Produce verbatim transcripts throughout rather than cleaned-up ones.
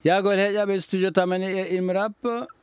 Yaagol heeƴaaɓe studio tamani e imrap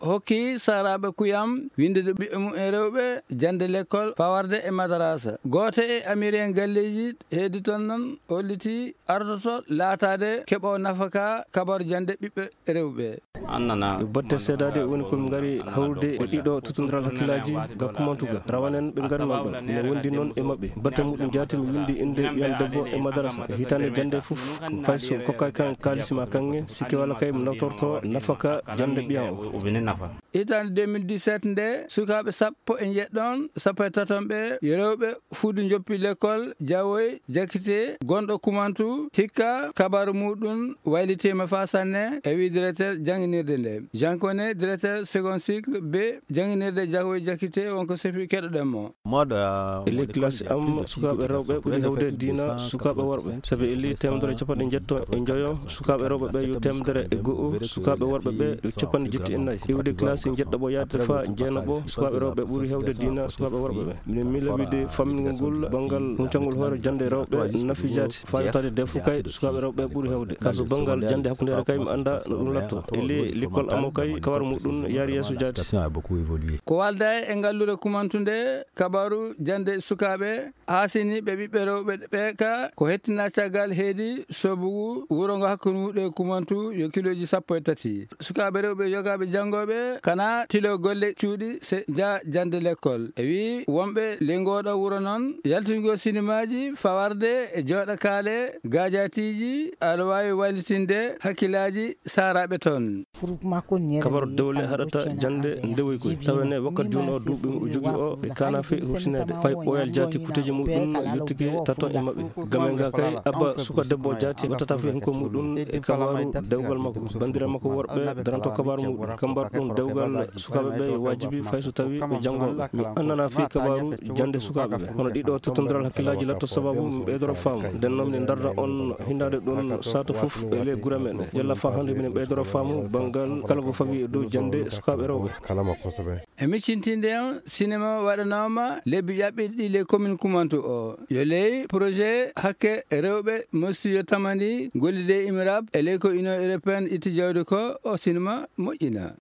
hokki saaraaɓe kuyam winndude ɓiɓɓe mum e rewɓe jannde lekkol fawarde e madarasa. Gooto e amiren galleeji heedi toon noon holliti ardoto laataade keɓo nafaka kabar jannde ɓiɓɓe rewɓe. Ɓe batte seedaade woni ko ɓe ngari hawrude e ɗiɗo tuttondiral hakkillaaji ga kumantuga rawanen ɓe ngarnooɗo. Mi wondi noon e maɓɓe batte muɗum jaati mi windi innde ɓiyan debbo e madarasa e hitaande jannde fof. Ko fay so kokkaaki kan kaalisi ma kaŋŋe sikke walla kay mo nawtorto nafaka jannde ɓiyan o. Hitaande deux mille dix-sept nde sukaaɓe sappo e njeɗɗon sappo e taton ɓe yo rewɓe fuudu njoppi lekkol jawoy jakite gonɗo kumantu hikka kabaru muɗum waylitiima faa sanne e wi directeur jannginirde nde. Jean Kone, directeur second cycle be jannginirde jawoy jakite wonko sefi keɗoɗen mo. E ley kilasi am sukaaɓe rewɓe ɓuri hewde diina sukaaɓe worɓe sabi e ley temedere capanɗe njetto e njoyo sukaaɓe rewɓe ɓe yo temedere e go'o sukaaɓe worɓe ɓe yo capanɗe jetti e nayi iwde kilasi njeɗɗo ɓo yaade fa jeenaɓo sukaaɓe rewɓe ɓuri hewde diina sukaaɓe worɓe ɓe. Minen miila wiide fammingol ngol banngal huncangol hoore jannde rewɓe nafi jaati fayotade defo kay sukaaɓe rewɓe ɓuri hewde kaso banngal jannde hakkundeere kay mi annda no ɗum latto e ley likol amo kay kawar muɗum yaari yeeso jaati. Ko walda e ngalluure kumantunde kabaru jannde sukaaɓe haasini ɓe ɓiɓɓe rewɓe ɓe ka ko hettina caggal heedi sobugu wuro ngo hakkunde muɗum e kumantu yo kilooji sappo e tati. Sukaaɓe rewɓe yogaaɓe janngooɓe kana tilo golle cuuɗi se nja jannde lekkol e wi wonɓe ley ngooɗo wuro noon yaltingo sinimaaji fawarde e jooɗa kaale gaajatiiji aɗa waawi wallitinde hakkillaaji saaraaɓe toon. Kabar dewle haɗata jannde ndewoy koy tawa ne wakkat jooni o duuɓi o jogi o ɓe kana fe husineede fay ɓooyal jaati kuteeji muɗum yottike taton e maɓɓe. Game nga kay abba suka debbo jaati wattata fe hunko muɗum e kabaru dewgal makko banndiraaɓe makko worɓe daranto kabaru muɗum kambar ɗum dewgal sukaaɓe ɓe yo waajibi fay so tawi ɓe janngooɓe mi annana fii kabaru jannde sukaaɓe ɓe hono ɗiɗo tottondiral hakkillaaji latto sababu mi ɓeydoro faamu nden noon mi darda on hindaade ɗum sato fof e ley gure meɗen jalla fa hannde minen ɓeydoro faamu banngal kala ko fawi e dow jannde sukaaɓe rewɓe. E miccintinde on sinema waɗanooma lebbi ƴaɓɓiɗi ɗi ley commune kumantu o yo ley projet hakke rewɓe mostiyo tamani gollide imirab e ley ko union européenne itti jawdi ko o sinema moƴƴina.